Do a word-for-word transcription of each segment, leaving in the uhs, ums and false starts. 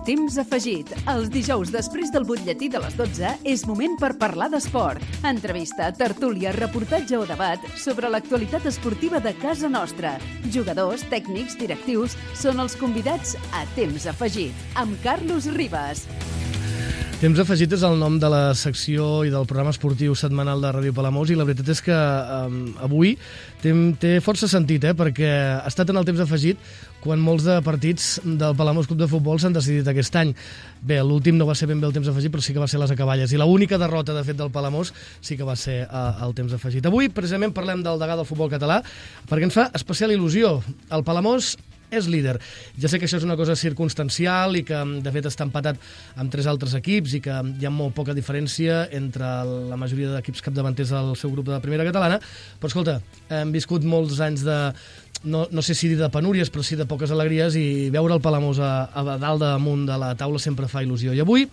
Temps afegit. Els dijous després del butlletí de les dotze és moment per parlar d'esport. Entrevista, tertúlia, reportatge o debat sobre l'actualitat esportiva de casa nostra. Jugadors, tècnics, directius són els convidats a Temps afegit, amb Carlos Ribas. Temps afegit és el nom de la secció i del programa esportiu setmanal de Ràdio Palamós i la veritat és que um, avui té, té força sentit, eh, perquè ha estat en el temps afegit quan molts de partits del Palamós Club de Futbol s'han decidit aquest any. Bé, l'últim no va ser ben bé el temps afegit, però sí que va ser les acaballes. I l'única derrota, de fet, del Palamós sí que va ser uh, el temps afegit. Avui, precisament, parlem del degà del futbol català, perquè ens fa especial il·lusió. El Palamós és líder. Ja sé que això és una cosa circumstancial i que, de fet, està empatat amb tres altres equips i que hi ha molt poca diferència entre la majoria d'equips capdavanters del seu grup de primera catalana, però, escolta, hem viscut molts anys de, no, no sé si dir de penúries, però sí de poques alegries, i veure el Palamós a, a dalt damunt de la taula sempre fa il·lusió. I avui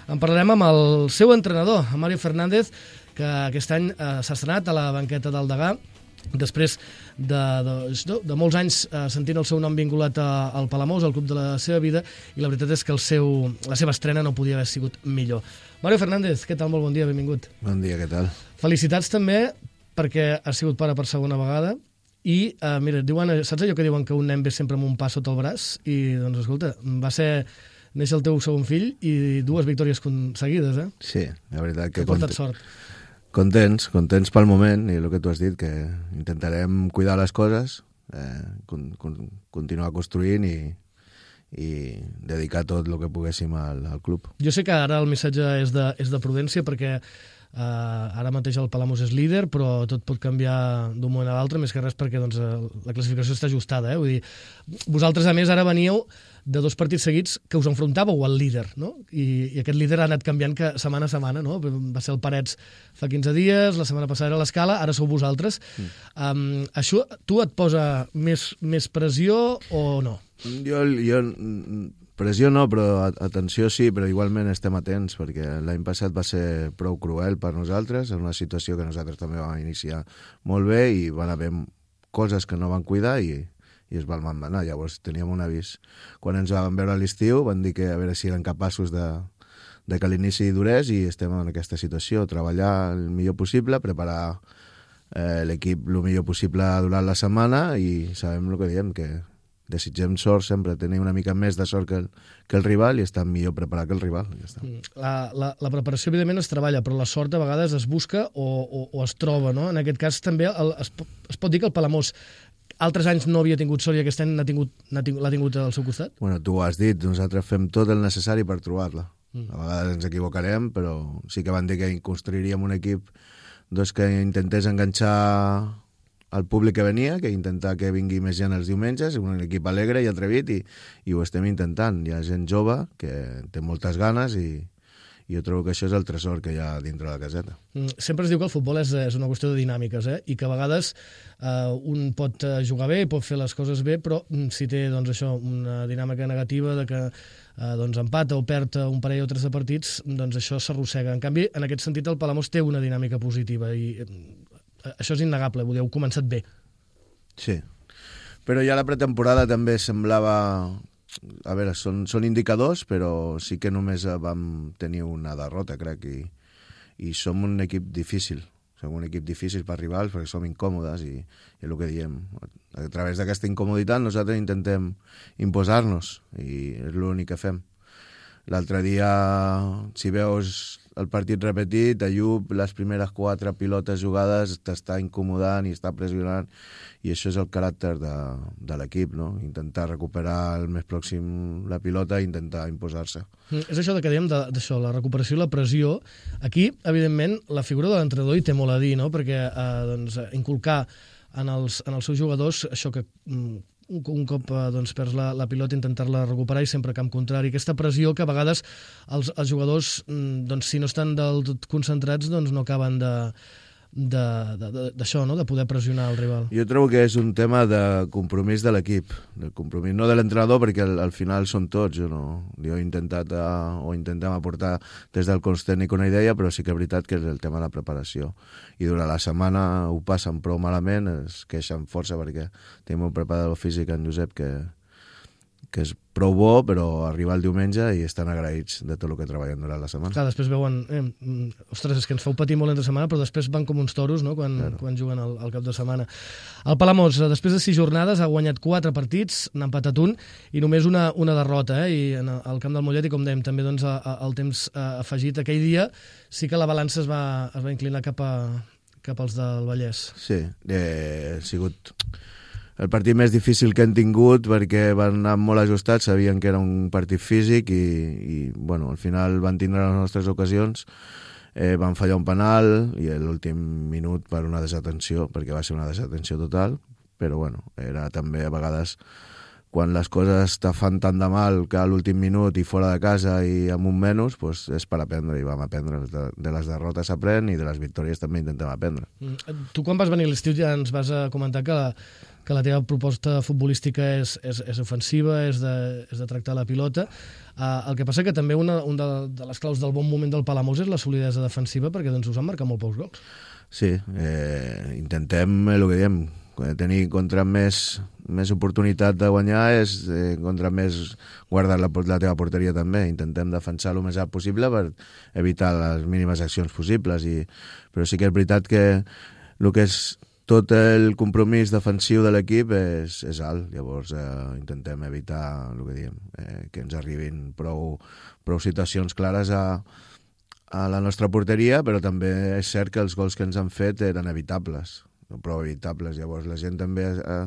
en parlarem amb el seu entrenador, Mario Fernández, que aquest any eh, s'ha estrenat a la banqueta del degà, després de, de, de molts anys eh, sentint el seu nom vinculat a, al Palamós, al club de la seva vida, i la veritat és que el seu, la seva estrena no podia haver sigut millor. Mario Fernández, què tal? Molt bon dia, benvingut. Bon dia, què tal? Felicitats també perquè has sigut pare per segona vegada i, eh, mira, diuen, saps allò que diuen que un nen ve sempre amb un pas sota el braç? I, doncs, escolta, va ser néixer el teu segon fill i dues victòries seguides, eh? Sí, la veritat que... Que portat sort. Contents, contents pel moment, i el que tu has dit, que intentarem cuidar les coses, eh, con, con, continuar construint i, i dedicar tot el que poguéssim al, al club. Jo sé que ara el missatge és de, és de prudència, perquè eh, ara mateix el Palamós és líder, però tot pot canviar d'un moment a l'altre, més que res perquè doncs, la classificació està ajustada. Eh? Vull dir, vosaltres, a més, ara veníeu de dos partits seguits que us enfrontàveu al líder, no? I, i aquest líder ha anat canviant que setmana a setmana, no? Va ser el Parets fa quinze dies, la setmana passada era l'Escala, ara sou vosaltres. Mm. Um, això, tu et posa més, més pressió o no? Jo, jo, pressió no, però atenció sí, però igualment estem atents, perquè l'any passat va ser prou cruel per nosaltres, en una situació que nosaltres també vam iniciar molt bé i van haver coses que no van cuidar i i es van manar. Llavors teníem un avís. Quan ens vam veure a l'estiu van dir que a veure si eren capaços de, de que l'inici durés, i estem en aquesta situació, treballar el millor possible, preparar eh, l'equip el millor possible durant la setmana, i sabem el que diem, que desitgem sort sempre, tenir una mica més de sort que el, que el rival i estar millor preparat que el rival. Ja està. La, la, la preparació evidentment es treballa, però la sort a vegades es busca o, o, o es troba, no? En aquest cas també el, es, es pot dir que el Palamós altres anys no havia tingut sort i aquest any l'ha tingut, tingut, tingut al seu costat? Bueno, tu ho has dit, nosaltres fem tot el necessari per trobar-la. Mm. A vegades ens equivocarem, però sí que van dir que construiríem un equip doncs, que intentés enganxar al públic que venia, que intentar que vingui més gent els diumenges, un equip alegre i atrevit, i, i ho estem intentant. Hi ha gent jove que té moltes ganes i... i jo trobo que això és el tresor que hi ha dintre de la caseta. Sempre es diu que el futbol és, és una qüestió de dinàmiques, eh? I que a vegades eh, un pot jugar bé, pot fer les coses bé, però si té doncs, això, una dinàmica negativa de que eh, doncs, empata o perd un parell o tres de partits, doncs això s'arrossega. En canvi, en aquest sentit, el Palamós té una dinàmica positiva i eh, això és innegable, vull dir, heu començat bé. Sí, però ja la pretemporada també semblava... A veure, són, són indicadors, però sí que només vam tenir una derrota, crec, i, i som un equip difícil. Som un equip difícil per rivals perquè som incòmodes i, i el que diem. A través d'aquesta incomoditat nosaltres intentem imposar-nos i és l'únic que fem. L'altre dia, si veus el partit repetit, Ayub, les primeres quatre pilotes jugades, t'està incomodant i està pressionant, i això és el caràcter de, de l'equip, no? Intentar recuperar el més pròxim la pilota i intentar imposar-se. Mm, és això que dèiem d'això, la recuperació i la pressió. Aquí, evidentment, la figura de l'entrenador hi té molt a dir, no? Perquè eh, doncs, inculcar en els, en els seus jugadors això que... Mm, un cop doncs, perds la, la pilota, intentar-la recuperar i sempre camp contrari. Aquesta pressió que a vegades els, els jugadors, doncs, si no estan del tot concentrats, doncs no acaben de d'això, no? De poder pressionar el rival. Jo trobo que és un tema de compromís de l'equip, de compromís, no de l'entrenador, perquè al, al final són tots. Jo, no, jo he intentat uh, o intentem aportar des del cos tècnic una idea, però sí que és veritat que és el tema de la preparació. I durant la setmana ho passen prou malament, es queixen força perquè tenim un preparador físic, en Josep, que, que és prou bo, però arriba el diumenge i estan agraïts de tot el que treballen durant la setmana. Clar, després veuen, eh, ostres, és que ens feu patir molt entre setmana, però després van com uns toros, no?, quan, Claro. quan juguen al, al cap de setmana. El Palamós, després de sis jornades, ha guanyat quatre partits, n'ha empatat un, i només una, una derrota, eh? I en el, al camp del Mollet, i com dèiem, també doncs, a, a, el temps eh, afegit, aquell dia sí que la balança es va, es va inclinar cap, a, cap als del Vallès. Sí, eh, ha sigut el partit més difícil que hem tingut perquè van anar molt ajustats, sabien que era un partit físic i, i bueno, al final van tindre les nostres ocasions, eh, van fallar un penal i l'últim minut per una desatenció, perquè va ser una desatenció total, però bueno, era també a vegades quan les coses te fan tant de mal que a l'últim minut i fora de casa i amb un menys, pues és per aprendre, i vam aprendre. De, de les derrotes s'aprèn i de les victòries també intentem aprendre. Mm. Tu quan vas venir a l'estiu ja ens vas a comentar que la, que la teva proposta futbolística és, és, és ofensiva, és de, és de tractar la pilota. Uh, el que passa que també una, una de, de les claus del bon moment del Palamós és la solidesa defensiva, perquè doncs us han marcat molt pocs gols. Sí, eh, intentem el que diem, tenir contra més, més oportunitat de guanyar és eh, contra més guardar la, la teva porteria també. Intentem defensar el més alt possible per evitar les mínimes accions possibles. I, però sí que és veritat que el que és tot el compromís defensiu de l'equip és, és alt. Llavors eh, intentem evitar el que diem, eh, que ens arribin prou, prou situacions clares a, a la nostra porteria, però també és cert que els gols que ens han fet eren evitables. Prou evitables, llavors la gent també ha,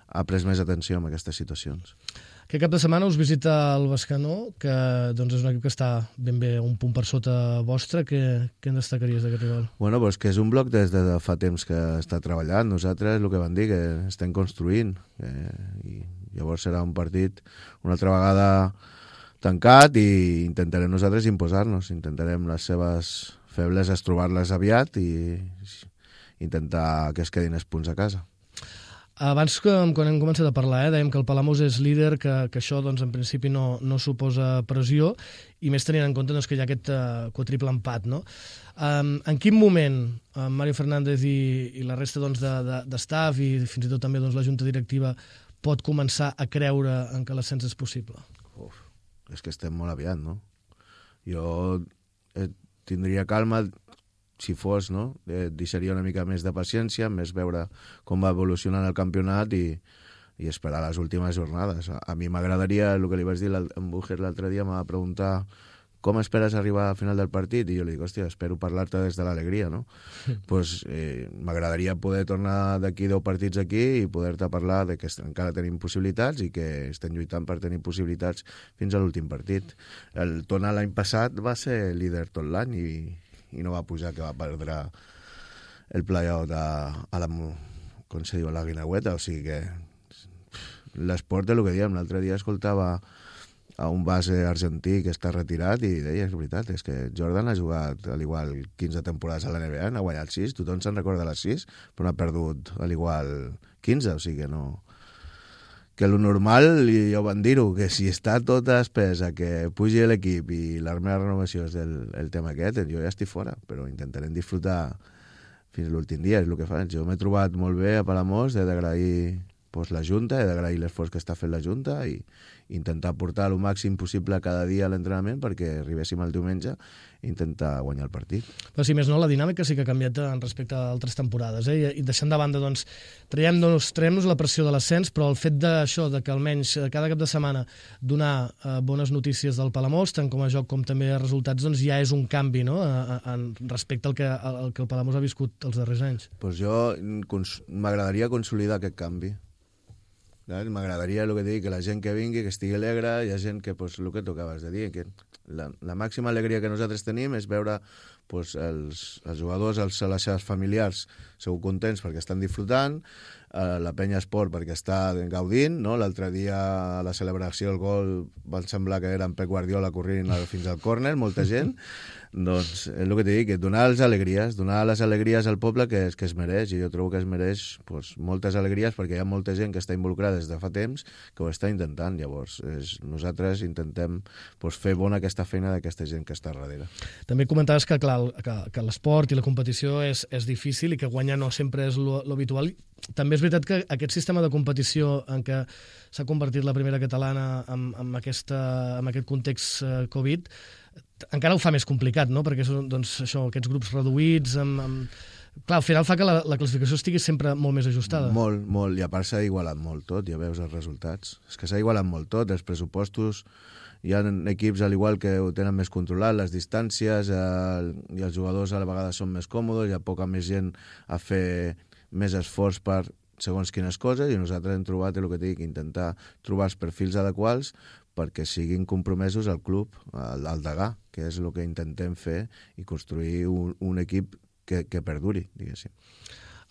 ha pres més atenció en aquestes situacions. Aquest cap de setmana us visita el Bescanó, que doncs, és un equip que està ben bé un punt per sota vostre. Què, què en destacaries d'aquest rival? Bueno, pues que és un bloc des de fa temps que està treballant. Nosaltres, el que van dir, que estem construint. Eh, i llavors serà un partit una altra vegada tancat i intentarem nosaltres imposar-nos. Intentarem les seves febleses trobar-les aviat i intentar que es quedin els punts a casa. Abans, que, quan hem començat a parlar, eh, dèiem que el Palamós és líder, que, que això doncs, en principi no, no suposa pressió, i més tenint en compte doncs, que hi ha aquest uh, quadriple empat. No? Um, en quin moment uh, Mario Fernández i, i la resta doncs, de, de, d'estaf i fins i tot també doncs, la junta directiva pot començar a creure en que l'ascens és possible? Uf, és que estem molt aviat, no? Jo eh, tindria calma si fos, no? Eh, deixaria una mica més de paciència, més veure com va evolucionant el campionat i, i esperar les últimes jornades. A, a mi m'agradaria, el que li vaig dir en Búger l'altre dia, m'ha preguntar com esperes arribar al final del partit? I jo li dic, hòstia, espero parlar-te des de l'alegria, no? Doncs pues, eh, m'agradaria poder tornar d'aquí deu partits aquí i poder-te parlar de que encara tenim possibilitats i que estem lluitant per tenir possibilitats fins a l'últim partit. El Tona l'any passat va ser líder tot l'any i i no va pujar, que va perdre el play-out a, a la, com se diu, a la Guinagüeta, o sigui que l'esport és el que diem. L'altre dia escoltava a un base argentí que està retirat i deia, és veritat, és que Jordan ha jugat al igual quinze temporades a la N B A, n'ha guanyat sis, tothom se'n recorda les sis, però n'ha perdut al igual quinze, o sigui que no... que el normal, i ja ho van dir-ho, que si està tot espesa, que pugi l'equip i la meva renovació és el, el tema aquest, jo ja estic fora, però intentarem disfrutar fins a l'últim dia, és el que faig. Jo m'he trobat molt bé a Palamós, he d'agrair pues, la Junta, he d'agrair l'esforç que està fent la Junta i intentar portar el màxim possible cada dia a l'entrenament perquè arribéssim al diumenge i intentar guanyar el partit. Però si més no, la dinàmica sí que ha canviat en respecte a altres temporades, eh? I deixant de banda, doncs, traiem-nos traiem la pressió de l'ascens, però el fet d'això, de que almenys cada cap de setmana donar eh, bones notícies del Palamós, tant com a joc com també a resultats, doncs ja és un canvi, no?, a, a, en respecte al que, al que el Palamós ha viscut els darrers anys. Pues jo m'agradaria consolidar aquest canvi. M'agradaria, el que dic, que la gent que vingui, que estigui alegre, hi ha gent que, pues, el que tu acabes de dir, que la, la màxima alegria que nosaltres tenim és veure pues, els, els jugadors, els, les seves familiars segur contents perquè estan disfrutant, eh, la penya esport perquè està gaudint, no? L'altre dia a la celebració del gol van semblar que era en Pep Guardiola corrent fins al córner, molta gent. Doncs és el que t'he dit, que donar les alegries, donar les alegries al poble que es, que es mereix, i jo trobo que es mereix pues, moltes alegries perquè hi ha molta gent que està involucrada des de fa temps que ho està intentant. Llavors és, nosaltres intentem pues, fer bona aquesta feina d'aquesta gent que està darrere. També comentaves que, clar, que, que l'esport i la competició és, és difícil i que guanyar no sempre és lo, lo habitual. També és és veritat que aquest sistema de competició en què s'ha convertit la primera catalana amb, amb, aquesta, amb aquest context eh, Covid encara ho fa més complicat, no? Perquè són doncs, això, aquests grups reduïts amb... amb... Clar, al final fa que la, la classificació estigui sempre molt més ajustada. Molt, molt, i a part s'ha igualat molt tot, ja veus els resultats. És que s'ha igualat molt tot, els pressupostos, hi ha equips al igual que ho tenen més controlat, les distàncies, el, i els jugadors a la vegada són més còmodes, hi ha poca més gent a fer més esforç per segons quines coses, i nosaltres hem trobat, el que dic, intentar trobar els perfils adequats perquè siguin compromesos al club, al, al Degà, que és el que intentem fer i construir un, un equip que, que perduri, diguéssim.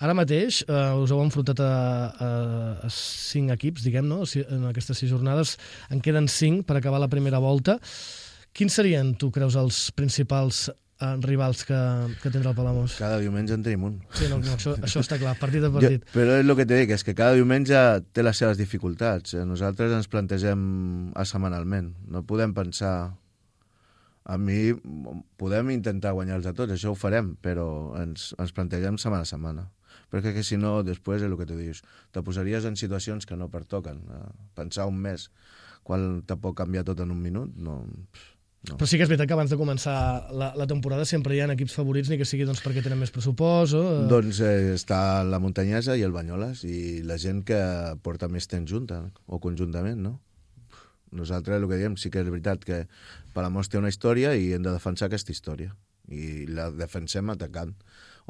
Ara mateix eh, us heu enfrontat a, a, a cinc equips, diguem, no? En aquestes sis jornades en queden cinc per acabar la primera volta. Quins serien, tu creus, els principals eh, rivals que, que tindrà el Palamós? Cada diumenge en tenim un. Sí, no, no, això, això està clar, partit a partit. Jo, però és el que t'he dit, és que cada diumenge té les seves dificultats. Nosaltres ens plantegem setmanalment. No podem pensar... A mi podem intentar guanyar-los a tots, això ho farem, però ens, ens plantegem setmana a setmana. Perquè que si no, després és el que tu dius, te posaries en situacions que no pertoquen. Pensar un mes quan te pot canviar tot en un minut, no... no. Però sí que és veritat que abans de començar la, la temporada sempre hi ha equips favorits, ni que sigui doncs, perquè tenen més pressupost o... Doncs eh, està la Muntanyesa i el Banyoles, i la gent que porta més temps junta, o conjuntament, no? Nosaltres el que diem sí que és veritat que Palamós té una història i hem de defensar aquesta història. I la defensem atacant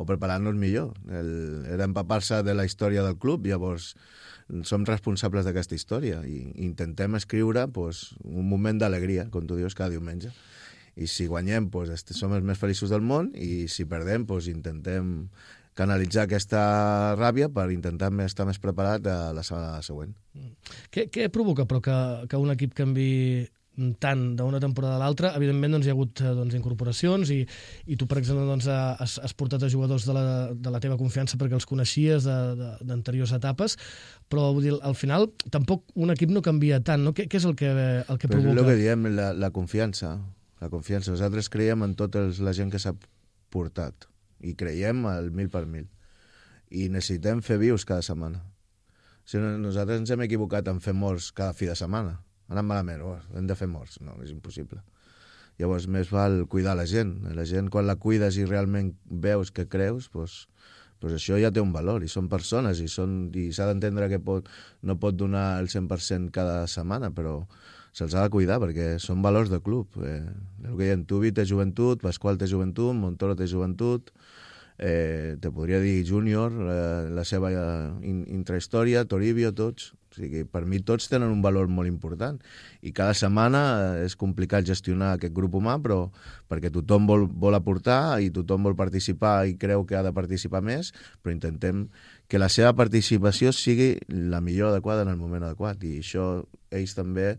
o preparant-nos millor. El, era empapar-se de la història del club, llavors som responsables d'aquesta història i intentem escriure pues, un moment d'alegria, com tu dius, cada diumenge. I si guanyem, pues, som els més feliços del món, i si perdem, pues, intentem canalitzar aquesta ràbia per intentar estar més preparat a la setmana següent. Què, què provoca, però, que, que un equip canvi tant d'una temporada a l'altra? Evidentment, doncs, hi ha hagut doncs, incorporacions i, i tu, per exemple, doncs, has, has portat a jugadors de la, de la teva confiança perquè els coneixies d'anteriors etapes, però vull dir, al final tampoc un equip no canvia tant, no? Què, què és el que, el que però provoca? És el que diem, la, la confiança. La confiança. Nosaltres creiem en tota la gent que s'ha portat i creiem al mil per mil. I necessitem fer vius cada setmana. Si no, nosaltres ens hem equivocat en fer morts cada fi de setmana. Ha anat malament, oh, hem de fer morts. No, és impossible. Llavors, més val cuidar la gent. La gent, quan la cuides i realment veus que creus, doncs, doncs això ja té un valor. I són persones, i, són, i s'ha d'entendre que pot, no pot donar el cent per cent cada setmana, però se'ls ha de cuidar perquè són valors de club. Eh, el que diem, Tubi té joventut, Pasqual té joventut, Montoro té joventut, eh, te podria dir Júnior, eh, la seva in, intrahistòria, Toribio, tots. O sigui, per mi tots tenen un valor molt important i cada setmana és complicat gestionar aquest grup humà, però perquè tothom vol, vol aportar i tothom vol participar i creu que ha de participar més, però intentem que la seva participació sigui la millor adequada en el moment adequat, i això ells també,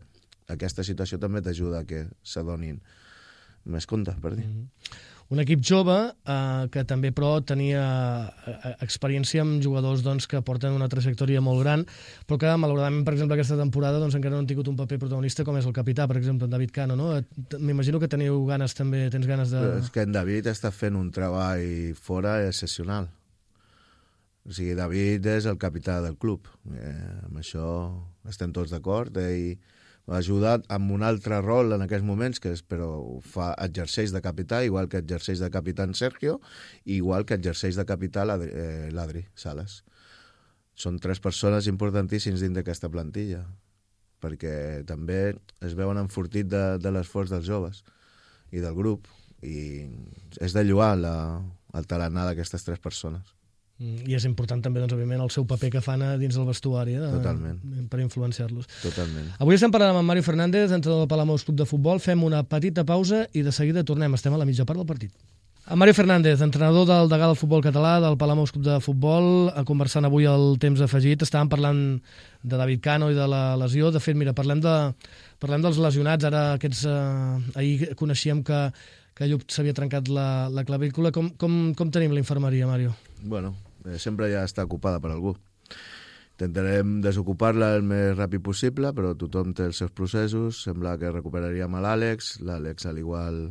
aquesta situació també t'ajuda a que s'adonin més compte, per dir. Mm-hmm. Un equip jove eh, que també, però, tenia eh, experiència amb jugadors doncs, que porten una trajectòria molt gran, però que, malauradament, per exemple, aquesta temporada doncs, encara no han tingut un paper protagonista com és el capità, per exemple, en David Cano, no? M'imagino que teniu ganes també, tens ganes de... Però és que en David està fent un treball fora excepcional. O sigui, David és el capità del club. Eh, amb això estem tots d'acord. Ell ha ajudat amb un altre rol en aquests moments, que és, però fa, exerceix de capità, igual que exerceix de capità en Sergio, i igual que exerceix de capità l'Adri, eh, l'Adri Sales. Són tres persones importantíssims dins d'aquesta plantilla, perquè també es veuen enfortit de, de l'esforç dels joves i del grup, i és de lloar la, el tarannà d'aquestes tres persones. I és important també, doncs, òbviament, el seu paper que fan dins del vestuari, eh, Totalment. per influenciar-los. Totalment. Avui estem parlant amb Mario Fernández, entrenador del Palamós Club de Futbol. Fem una petita pausa i de seguida tornem. Estem a la mitja part del partit. Amb Mario Fernández, entrenador del Degà del futbol català, del Palamós Club de Futbol, conversant avui el temps afegit. Estàvem parlant de David Cano i de la lesió. De fet, mira, parlem, de, parlem dels lesionats. Ara aquests, eh, ahir coneixíem que, que Lluc s'havia trencat la, la clavícula. Com, com, com tenim la infermeria, Mario? Bueno, eh, sempre ja està ocupada per algú. Intentarem desocupar-la el més ràpid possible, però tothom té els seus processos. Sembla que recuperaríem a l'Àlex. L'Àlex, al igual,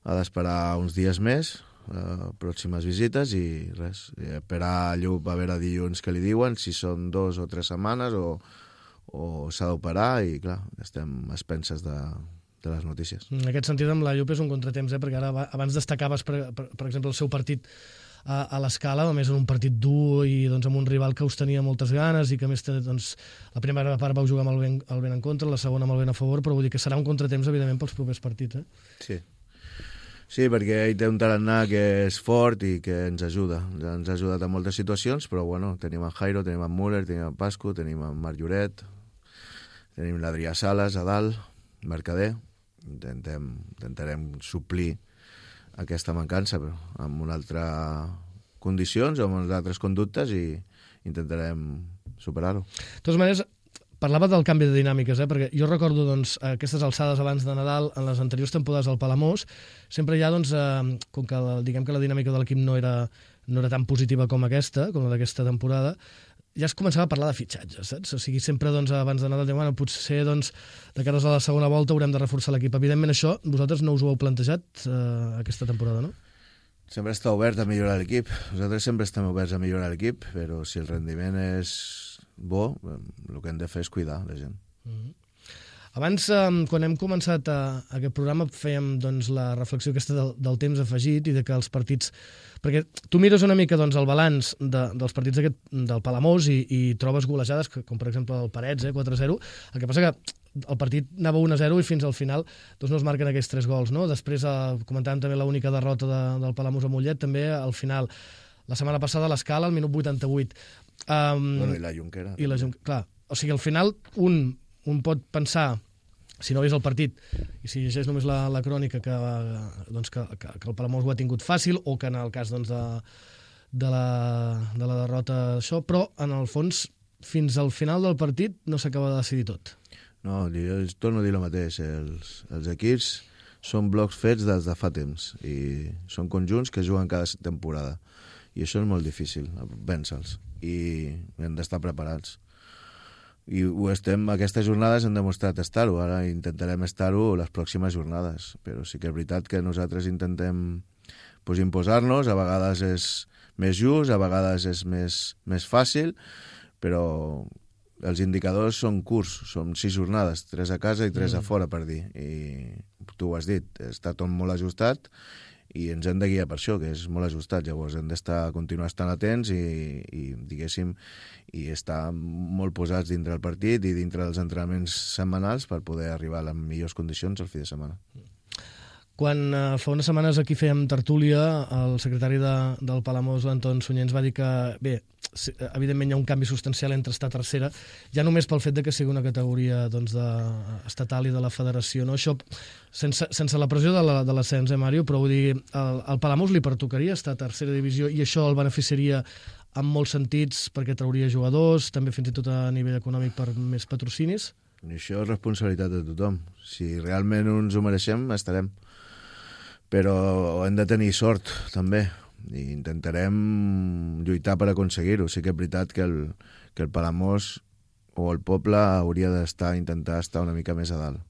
ha d'esperar uns dies més. uh, pròximes visites i res, esperar a Llup a veure dilluns què li diuen, si són dos o tres setmanes o, o s'ha d'operar i clar, estem a expenses de, de les notícies. En aquest sentit, amb la Llup és un contratemps, eh? Perquè ara abans destacaves, per, per, per exemple, el seu partit a, a l'Escala, a més en un partit dur i doncs, amb un rival que us tenia moltes ganes i que a més doncs, la primera part vau jugar amb el vent, el vent en contra, la segona amb el vent a favor, però vull dir que serà un contratemps, evidentment, pels propers partits. Eh? Sí. Sí, perquè ell té un tarannà que és fort i que ens ajuda. Ens ha ajudat en moltes situacions, però bueno, tenim en Jairo, tenim en Müller, tenim en Pascu, tenim en Marc Lloret, tenim l'Adrià Sales a dalt, Mercader. Intentem, intentarem suplir aquesta mancança, però amb unes altres condicions o amb unes altres conductes i intentarem superar-ho. De totes maneres, parlava del canvi de dinàmiques, eh? Perquè jo recordo doncs, aquestes alçades abans de Nadal, en les anteriors temporades al Palamós, sempre hi ha, doncs, eh, com que la, diguem que la dinàmica de l'equip no era, no era tan positiva com aquesta, com la d'aquesta temporada, ja es començava a parlar de fitxatges, saps? O sigui, sempre doncs, abans de Nadal, bueno, potser doncs, de cares a la segona volta haurem de reforçar l'equip. Evidentment això, vosaltres no us ho heu plantejat eh, aquesta temporada, no? Sempre està obert a millorar l'equip. Nosaltres sempre estem oberts a millorar l'equip, però si el rendiment és bo, el que hem de fer és cuidar la gent. Mm-hmm. Abans, eh, quan hem començat a, a aquest programa, fèiem doncs, la reflexió aquesta del, del temps afegit i de que els partits... Perquè tu mires una mica doncs, el balanç de, dels partits aquest, del Palamós i, i trobes golejades, que, com per exemple el Parets, eh, quatre a zero. El que passa que el partit anava un a zero i fins al final doncs, no es marquen aquests tres gols. No? Després, eh, comentàvem també l'única derrota de, del Palamós a Mollet, també al final. La setmana passada a l'Escala, al minut vuitanta-vuit. Um, bueno, i la Junquera. I la Junquera, clar. O sigui, al final, un, un pot pensar, si no vés el partit, i si llegeix només la, la crònica, que, doncs, que, que, que el Palamós ho ha tingut fàcil, o que en el cas doncs, de, de, la, de la derrota això, però en el fons, fins al final del partit no s'acaba de decidir tot. No, jo torno a dir el mateix. Els, els equips són blocs fets des de fa temps i són conjunts que juguen cada temporada. I això és molt difícil, vèncer-los. I hem d'estar preparats. I ho estem, aquestes jornades hem demostrat estar-ho. Ara intentarem estar-ho les pròximes jornades. Però sí que és veritat que nosaltres intentem pues, imposar-nos. A vegades és més just, a vegades és més, més fàcil, però els indicadors són curts, són sis jornades, tres a casa i tres mm. a fora, per dir. I tu ho has dit, està tot molt ajustat i ens hem de guiar per això, que és molt ajustat. Llavors hem d'estar continuar estant atents i, i diguéssim, i estar molt posats dintre el partit i dintre dels entrenaments setmanals per poder arribar a les millors condicions al fi de setmana. Quan eh, fa unes setmanes aquí fèiem tertúlia, el secretari de, del Palamós, l'Anton Sunyer, ens va dir que, bé, evidentment hi ha un canvi substancial entre estar tercera, ja només pel fet de que sigui una categoria doncs, de, estatal i de la federació. No? Això, sense, sense la pressió de l'ascens, eh, Mario, però vull dir, el, el Palamós li pertocaria estar a tercera divisió i això el beneficiaria en molts sentits perquè trauria jugadors, també fins i tot a nivell econòmic per més patrocinis? I això és responsabilitat de tothom. Si realment ens ho mereixem, estarem. Però hem de tenir sort, també, i intentarem lluitar per aconseguir-ho. Sí que és veritat que el, que el Palamós o el poble hauria d'estar, intentar estar una mica més a dalt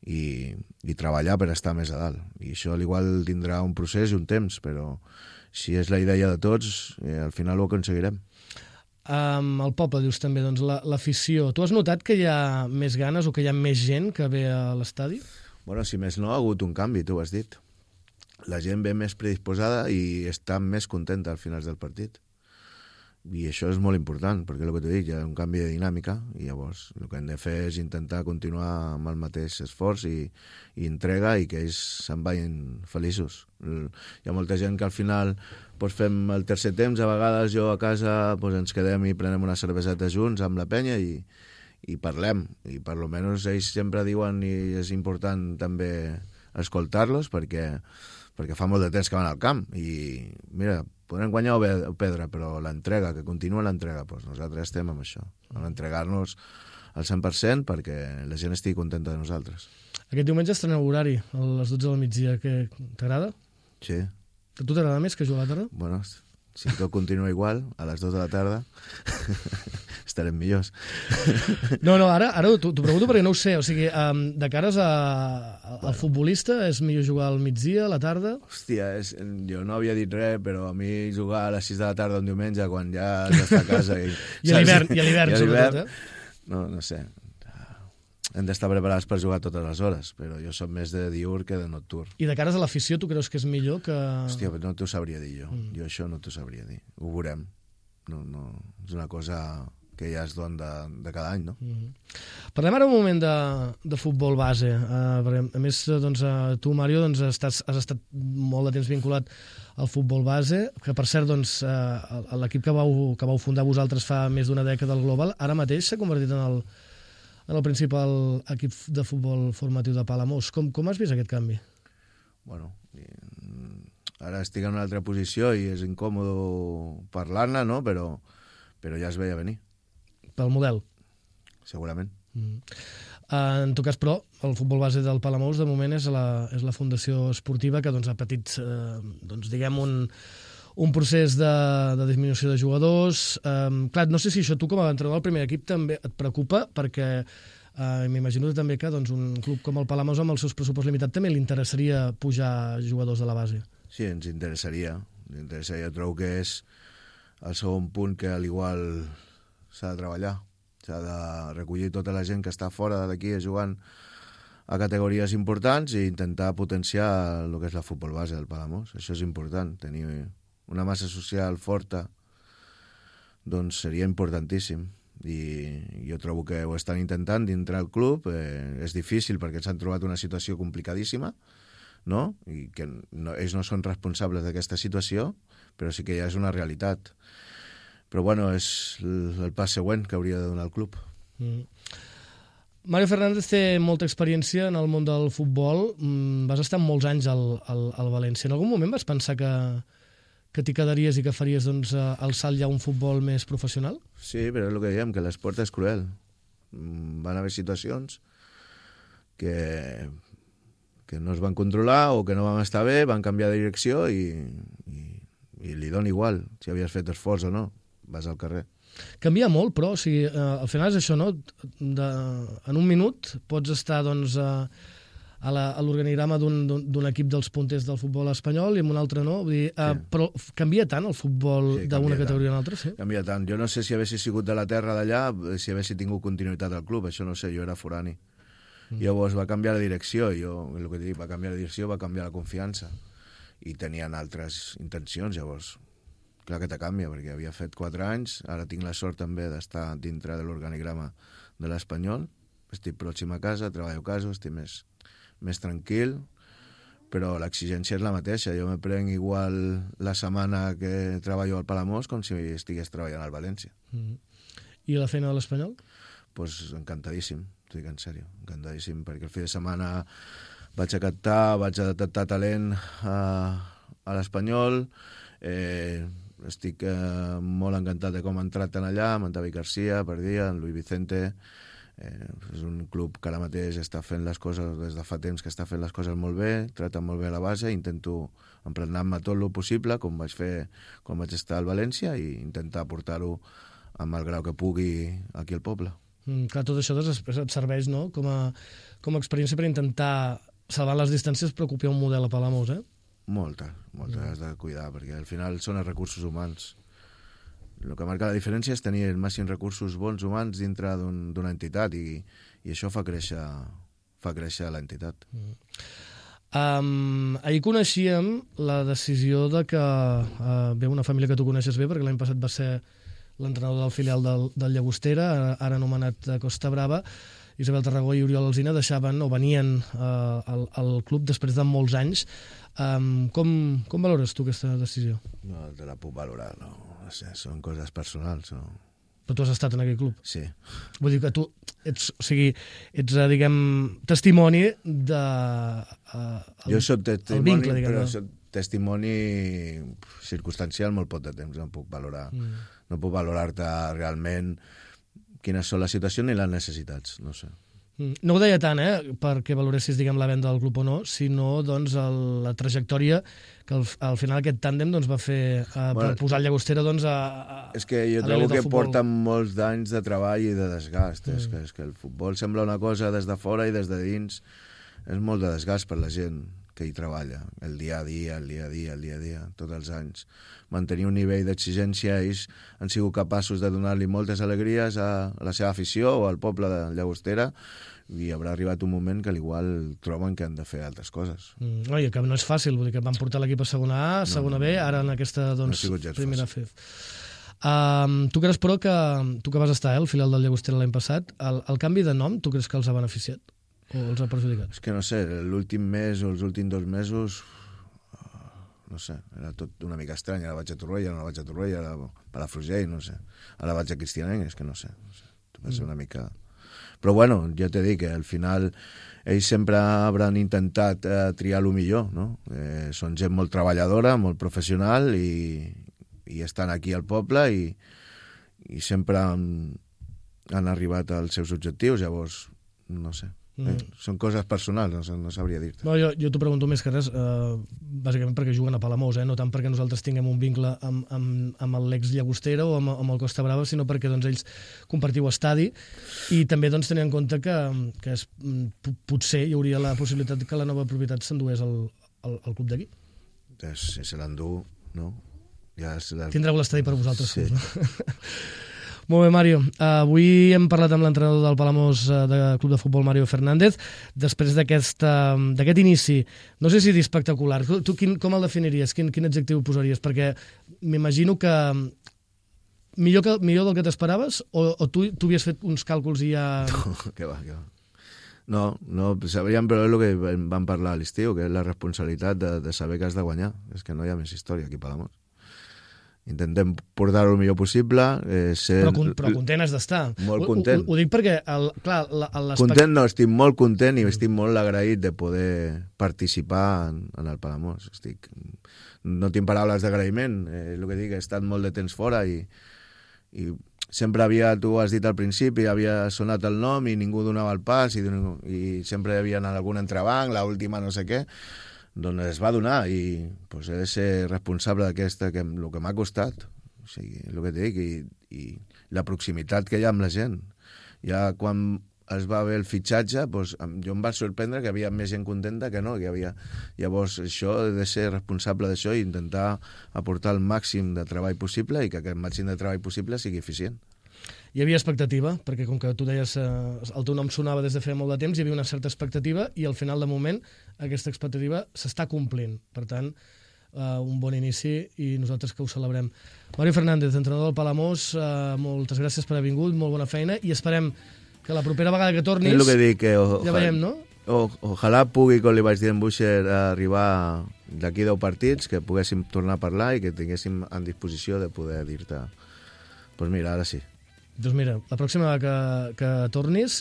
i, i treballar per estar més a dalt. I això al igual tindrà un procés i un temps, però si és la idea de tots, eh, al final ho aconseguirem. Um, el poble, dius també, doncs l'afició. Tu has notat que hi ha més ganes o que hi ha més gent que ve a l'estadi? Bueno, si més no, ha hagut un canvi, tu ho has dit. La gent ve més predisposada i està més contenta al final del partit. I això és molt important, perquè el que t'he dit, hi ha un canvi de dinàmica i llavors el que hem de fer és intentar continuar amb el mateix esforç i, i entrega i que ells se'n vagin feliços. Hi ha molta gent que al final pues, fem el tercer temps, a vegades jo a casa pues, ens quedem i prenem una cerveseta junts amb la penya i, i parlem. I per lo menos ells sempre diuen i és important també escoltar-los perquè perquè fa molt de temps que van al camp i mira, podrem guanyar o perdre, però l'entrega, que continua l'entrega, doncs nosaltres estem amb això, amb entregar-nos al cent per cent perquè la gent estigui contenta de nosaltres. Aquest diumenge estreneu horari, a les dotze del migdia, que t'agrada? Sí. A tu t'agrada més que jugar a la tarda? Bueno, Si tot continua igual, a les dues de la tarda, estarem millors. No, no, ara, ara t'ho pregunto perquè no ho sé. O sigui, um, de cares a, a, al futbolista, és millor jugar al migdia, a la tarda? Hòstia, és, jo no havia dit res, però a mi jugar a les sis de la tarda un diumenge, quan ja has d'estar a casa... I, I a l'hivern, i a l'hivern, sobretot, eh? No, no sé. Hem d'estar preparats per jugar totes les hores, però jo soc més de diürn que de nocturn. I de cares a l'afició, tu creus que és millor que... Hòstia, no t'ho sabria dir jo. Mm. Jo això no t'ho sabria dir. Ho veurem. No, no, és una cosa que ja es don de, de cada any, no? Mm. Parlem ara un moment de, de futbol base. Uh, perquè, a més, doncs, uh, tu, Mario, doncs, estàs, has estat molt de temps vinculat al futbol base, que, per cert, doncs, uh, l'equip que vau, que vau fundar vosaltres fa més d'una dècada al Global, ara mateix s'ha convertit en el en el principal equip de futbol formatiu de Palamós. Com, com has vist aquest canvi? Bueno, ara estic en una altra posició i és incòmode parlar-ne, no? Però, però ja es veia venir. Pel model? Segurament. Mm. Uh, en tot cas, però, el futbol base del Palamós, de moment, és la, és la fundació esportiva que doncs, ha patit, uh, doncs, diguem, un... un procés de, de disminució de jugadors. Um, clar, no sé si això tu com a entrenador del primer equip també et preocupa, perquè uh, m'imagino també que doncs, un club com el Palamós amb els seus pressupost limitat també li interessaria pujar jugadors de la base. Sí, ens interessaria. Ens interessaria. Jo trobo que és el segon punt que al igual s'ha de treballar. S'ha de recollir tota la gent que està fora d'aquí jugant a categories importants i intentar potenciar el que és la futbol base del Palamós. Això és important, tenir una massa social forta, doncs seria importantíssim. I jo trobo que ho estan intentant dintre el club. Eh, és difícil perquè s'han trobat una situació complicadíssima, no? I que no, ells no són responsables d'aquesta situació, però sí que ja és una realitat. Però bueno, és el, el pas següent que hauria de donar el club. Mm. Mario Fernández té molta experiència en el món del futbol. Mm, vas estar molts anys al, al, al València. En algun moment vas pensar que que t'hi quedaries i que faries doncs, el salt ja a un futbol més professional? Sí, però és el que diem, que l'esport és cruel. Van haver situacions que, que no es van controlar o que no van estar bé, van canviar de direcció i, i, i li dona igual si havies fet esforç o no, vas al carrer. Canvia molt, però, o sigui, eh, al final és això, no? De, en un minut pots estar, doncs, eh, a l'organigrama d'un equip dels punters del futbol espanyol i en un altre no. Vull dir, uh, sí. Però canvia tant el futbol sí, d'una categoria a l'altra? Sí? Canvia tant. Jo no sé si haguessi sigut de la terra d'allà, si haguessi tingut continuïtat al club, això no sé, jo era forani. Mm. Llavors va canviar la direcció, jo, el que dic, va canviar la direcció, va canviar la confiança i tenien altres intencions, llavors clar que te canvia, perquè havia fet quatre anys, ara tinc la sort també d'estar dintre de l'organigrama de l'Espanyol, estic pròxim a casa, treballo a casa, estic més més tranquil, però l'exigència és la mateixa. Jo me prenc igual la setmana que treballo al Palamós com si estigués treballant al València. Mm. I la feina de l'Espanyol? Pues encantadíssim, t'ho dic en sèrio, encantadíssim, perquè el fi de setmana vaig a captar, vaig a detectar talent a, a l'Espanyol, eh, estic eh, molt encantat de com han tractat allà, amb en David Garcia, per dia, en Luis Vicente. Eh, és un club que ara mateix està fent les coses des de fa temps que està fent les coses molt bé, trata molt bé a la base, intento emplenar-me tot el possible com vaig fer quan vaig estar al València i intentar portar-ho amb el grau que pugui aquí al poble. Mm, clar, tot això després et serveix, no?, com a, com a experiència per intentar salvar les distàncies però copiar un model a Palamós, eh? Moltes, moltes mm. has de cuidar, perquè al final són els recursos humans. El que marca la diferència és tenir els màxims recursos bons humans dintre d'una un, entitat i, i això fa créixer, fa créixer l'entitat. Mm. Um, ahir coneixíem la decisió de que uh, ve una família que tu coneixes bé, perquè l'any passat va ser l'entrenador del filial del, del Llagostera, ara anomenat Costa Brava. Isabel Tarragó i Oriol Alsina deixaven o venien uh, al, al club després de molts anys. Um, com, com valores tu aquesta decisió? No te la puc valorar, no. No sé, són coses personals. No? Però tu has estat en aquell club? Sí. Vull dir que tu ets, o sigui, ets, diguem, testimoni de... Uh, el, jo soc testimoni, vincle, diguem, però soc testimoni circumstancial molt poc de temps, no puc valorar. Mm. No puc valorar-te realment quines són les situacions ni les necessitats, no sé. No ho deia tant, eh, perquè valoressis, diguem, la venda del club o no, sinó, doncs, el, la trajectòria que al, al final aquest tàndem doncs, va fer eh, bueno, per posar el Llagostera doncs, a, a És que jo trobo que porten molts d'anys de treball i de desgast. Mm. És, que, és que el futbol sembla una cosa des de fora i des de dins és molt de desgast per la gent que hi treballa, el dia a dia, el dia a dia, el dia a dia, tots els anys. Mantenir un nivell d'exigència, ells han sigut capaços de donar-li moltes alegries a la seva afició o al poble de Llagostera, i haurà arribat un moment que igual troben que han de fer altres coses. Mm, no, i que no és fàcil, vull dir que van portar l'equip a segona A, a segona no, no, B, ara en aquesta doncs, no primera F. Um, tu creus, però, que tu que vas estar eh, al filial del Llagostera l'any passat, el, el canvi de nom, tu creus que els ha beneficiat? O els ha perjudicat? És que no sé, l'últim mes o els últims dos mesos, no sé, era tot una mica estrany. Ara vaig a Torroella, no vaig a Torroella, ara a Palafrugell, no sé. Ara vaig a Cristianenc, és que no sé. No sé. Va ser una mica... Però bueno, ja t'he dit que al final ells sempre hauran intentat eh, triar el millor, no? Eh, són gent molt treballadora, molt professional i, i estan aquí al poble i, i sempre han, han arribat als seus objectius, llavors, no sé. Eh, són coses personals, no, no sabria dir-te. No, jo jo t'ho pregunto més que res, eh, bàsicament perquè juguen a Palamós, eh? No tant perquè nosaltres tinguem un vincle amb, amb, amb l'ex-Llagostera o amb, amb el Costa Brava, sinó perquè doncs, ells compartiu estadi i també doncs, tenint en compte que, que es, potser hi hauria la possibilitat que la nova propietat s'endués al, al, al club d'aquí. Si se l'endú, no? Ja la... Tindreu l'estadi per vosaltres. Sí. No? Molt bé, Mario. Uh, avui hem parlat amb l'entrenador del Palamós uh, del Club de Futbol, Mario Fernández, després d'aquest uh, inici, no sé si dir espectacular. Tu, tu quin, com el definiries? Quin, quin adjectiu posaries? Perquè m'imagino que millor, que millor del que t'esperaves o, o tu, tu havies fet uns càlculs i ja... No, que va, que va. No, no, sabríem, però és el que vam parlar a l'estiu, que és la responsabilitat de, de saber que has de guanyar. És que no hi ha més història aquí a Palamós. Intentem portar-ho el millor possible. Eh, ser... però, però content has d'estar. Molt content. Ho, ho, ho dic perquè, el, clar... Content no, estic molt content i estic molt agraït de poder participar en, en el Palamós. Estic... No tinc paraules d'agraïment. Eh, el que dic, he estat molt de temps fora i, i sempre havia, tu has dit al principi, havia sonat el nom i ningú donava el pas i, i sempre hi havia algun entrebanc, l'última no sé què. Doncs es va donar i pues, he de ser responsable d'aquesta, que el que m'ha costat, o sigui, el que et dic, i, i la proximitat que hi ha amb la gent. Ja quan es va haver el fitxatge, pues, jo em va sorprendre que hi havia més gent contenta que no, que hi havia... Llavors, això, he de ser responsable d'això i intentar aportar el màxim de treball possible i que aquest màxim de treball possible sigui eficient. Hi havia expectativa, perquè com que tu deies eh, el teu nom sonava des de feia molt de temps, hi havia una certa expectativa i al final de moment aquesta expectativa s'està complint. Per tant, eh, un bon inici i nosaltres que ho celebrem. Mario Fernández, entrenador del Palamós, eh, moltes gràcies per haver vingut, molt bona feina i esperem que la propera vegada que tornis... És el que dic, que o, ja veiem, no? O, ojalà pugui, com li vaig dir en Buixer, arribar d'aquí deu partits, que poguéssim tornar a parlar i que tinguéssim en disposició de poder dir-te doncs pues mira, ara sí. Doncs mira, la pròxima vegada que, que tornis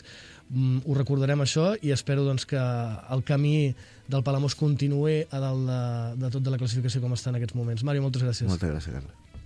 mm, ho recordarem això i espero doncs, que el camí del Palamós continuï a dalt de, de tot de la classificació com està en aquests moments. Mario, moltes gràcies. Moltes gràcies, Carles.